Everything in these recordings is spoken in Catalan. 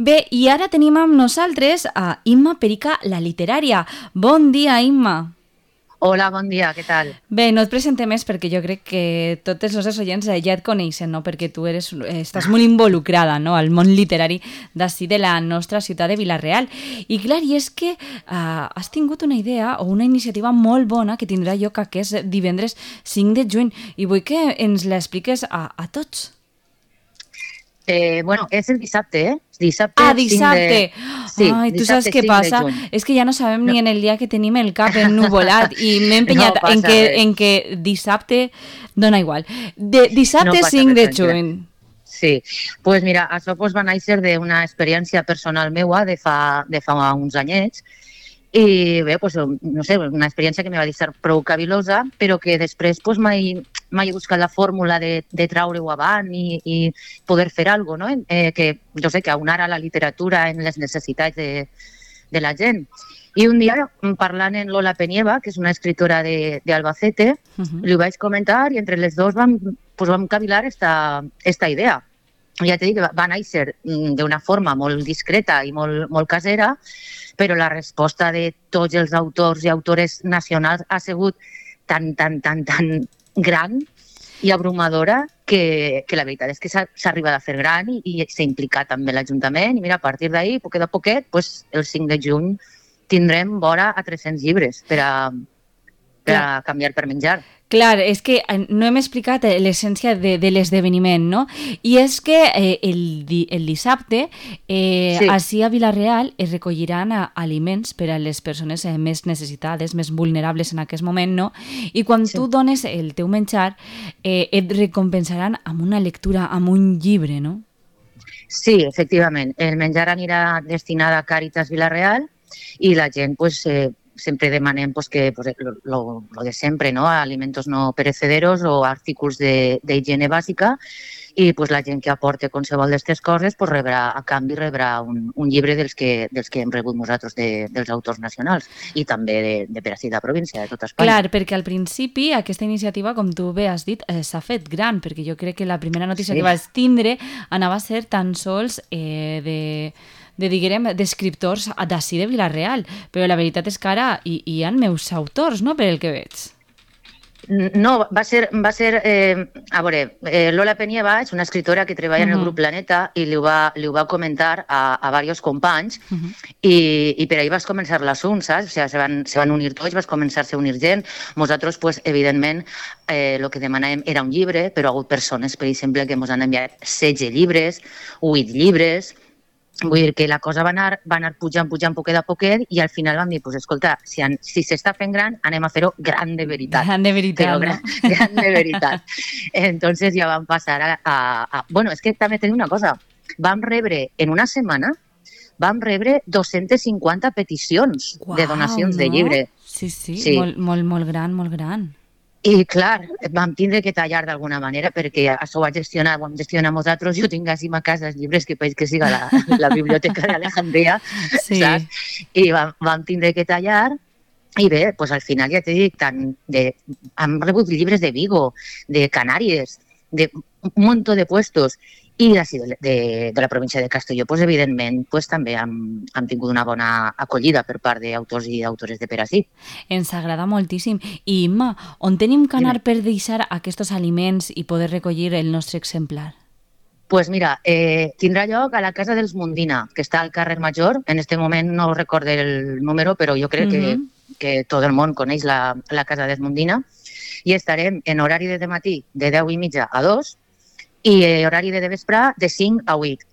Bé, i ara tenim amb nosaltres a Imma Perica, la literària. Bon dia, Imma. Hola, bon dia, què tal? Bé, no et presentem més perquè jo crec que tots els nostres oients ja et coneixen, no? Perquè tu estàs molt involucrada, no? Al món literari d'ací de la nostra ciutat de Vila-real. I clar, i és que has tingut una idea o una iniciativa molt bona que tindrà lloc aquest divendres 5 de juny i vull que ens l'expliques a tots. Bueno, és el dissabte, eh? Dissabte. Sí, Ai, tu saps dissabte què 5 passa? de juny. És que ja no sabem ni en el dia que tenim el cap ennuvolat i m'he empenyat No passa en que dissabte dona igual. Dissabte No passa 5 de res, juny. Sí, pues mira, això va néixer d'una experiència personal meua de fa uns anyets i bé, pues, no sé, una experiència que me va deixar prou cavilosa, però que després pues, mai he buscat la fórmula de traure-ho avant i poder fer alguna cosa, no? Que jo sé que aunara la literatura en les necessitats de la gent. I un dia, parlant amb Lola Penieva, que és una escritora d'Albacete, li vaig comentar i entre les dos vam cavilar esta idea. Ja t'he dit que va néixer d'una forma molt discreta i molt casera, però la resposta de tots els autors i autores nacionals ha sigut tan gran i abrumadora que la veritat és que s'ha arribat a fer gran i s'ha implicat també l'Ajuntament. I mira, a partir d'ahir, poquet a poquet, pues, el 5 de juny tindrem vora a 300 llibres per a canviar per menjar. Clar, és que no hem explicat l'essència de l'esdeveniment, no? I és que el dissabte, ací a Vila-real, es recolliran aliments per a les persones més necessitades, més vulnerables en aquest moment, no? I quan tu dones el teu menjar, et recompensaran amb una lectura, amb un llibre, no? Sí, efectivament. El menjar anirà destinat a Càritas Vila-real i la gent, pues, sempre demanem pues, que pues, lo de sempre, ¿no? Alimentos no perecederos o artículos d'higiene bàsica i pues, la gent que aporte qualsevol d'aquestes coses pues, a canvi rebrà un llibre dels que hem rebut nosaltres dels autors nacionals i també de per ací de província, de tota Espanya. Clar, perquè al principi aquesta iniciativa, com tu bé has dit, s'ha fet gran, perquè jo crec que la primera notícia que vas tindre anava a ser tan sols d'escriptors d'ací de Vila-real, però la veritat és que ara hi ha meus autors, no?, per el que veig. No, va ser a veure, Lola Penieva és una escritora que treballa en el grup Planeta i li ho va comentar a diversos companys i per ahir vas començar l'assumpte, saps? O sigui, se van unir tots, vas començar-se a unir gent. Nosaltres, pues, evidentment, el que demanàvem era un llibre, però hi ha hagut persones, per exemple, que ens han enviat 16 llibres, 8 llibres. Vull dir que la cosa va anar pujant poquet a poquet i al final vam dir, pues, escolta, si s'està fent gran, anem a fer-ho gran de veritat. Gran de veritat, no? Gran de veritat. Entonces ja vam passar Bueno, és que també tenim una cosa. Vam rebre, en una setmana, 250 peticions de donacions de llibre. Sí. Molt gran, molt gran. I, clar, vam tindre que tallar d'alguna manera perquè això ho hem gestionat nosaltres. Jo tinc així a casa els llibres que veig que siga la biblioteca d'Alejandria, saps? I vam tindre que tallar i bé, pues, al final ja t'he dit, hem rebut llibres de Vigo, de Canàries, de un munt de puestos i de la província de Castelló, pues, evidentment, pues, també hem tingut una bona acollida per part d'autors i d'autores de per ací. Ens agrada moltíssim. I, Imma, on tenim que anar per deixar aquests aliments i poder recollir el nostre exemplar? Pues mira, tindrà lloc a la Casa dels Mundina, que està al carrer Major. En aquest moment no recordo el número, però jo crec que tot el món coneix la Casa dels Mundina. I estarem en horari de matí de 10:30 a 2 i horari de vespre de 5 a 8.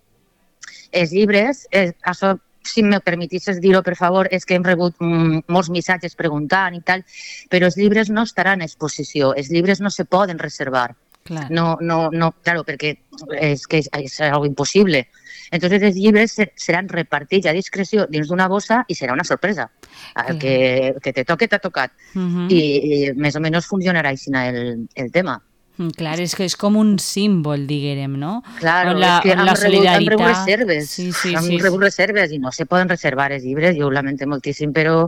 Els llibres, això, si me permetisses dir-ho, per favor, és que hem rebut molts missatges preguntant i tal, però els llibres no estaran a exposició, els llibres no se poden reservar. Clar. No, claro, perquè és algo impossible. Entonces els llibres seran repartits a discreció dins d'una bossa i serà una sorpresa. El que te toque t'ha tocat. I més o menys funcionarà així el tema. Clar, és que és com un símbol, diguem, no? Claro, és que hem rebut reserves. Sí. Hem rebut reserves i no se poden reservar els llibres, jo ho lamento moltíssim, però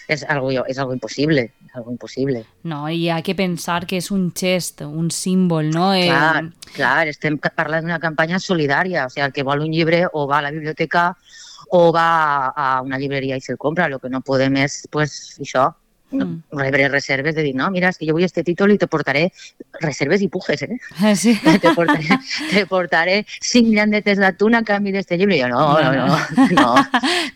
és algo impossible, algo impossible. No, i ha que pensar que és un gest, un símbol, no? Clar, estem parlant d'una campanya solidària, o sigui, el que vol un llibre o va a la biblioteca o va a una llibreria i se'l compra, el que no podem és, pues, això, rebre reserves de dir, no, mira, és que jo vull este títol i te portaré reserves i pujes, Sí. te portaré 5 llandetes d'atún a canvi d'este llibre. I jo, no.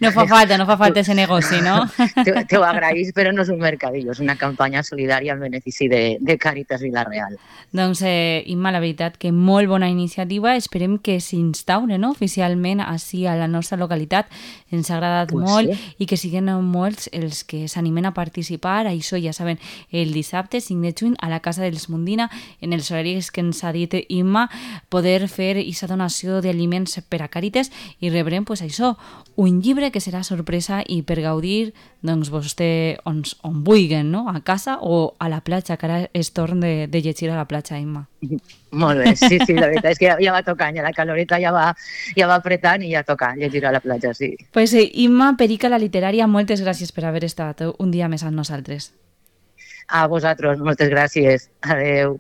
No fa falta ese negoci, no? Te ho agraïs, però no és un mercadillo, és una campanya solidària en benefici de Càritas Vila-real. Doncs, Imma, la veritat que molt bona iniciativa, esperem que s'instaure, no?, oficialment així a la nostra localitat, ens ha agradat molt, sí. I que siguin molts els que s'animen a participar. Això ja saben, el dissabte 5 de juny a la Casa dels Mundina, en els horaris que ens ha dit Imma, poder fer aquesta donació d'aliments per a Càritas i rebrem, pues, això, un llibre que serà sorpresa i per gaudir, doncs, vostè on vulguin, no?, a casa o a la platja, que ara és torn de llegir a la platja, Imma. Molt bé, sí, la veritat és que ja va tocant, ja la caloreta ja va apretant i ja toca llegir a la platja, sí. Pues Imma Perica, la literària, moltes gràcies per haver estat un dia més amb nosaltres. A vosaltres, moltes gràcies. Adeu.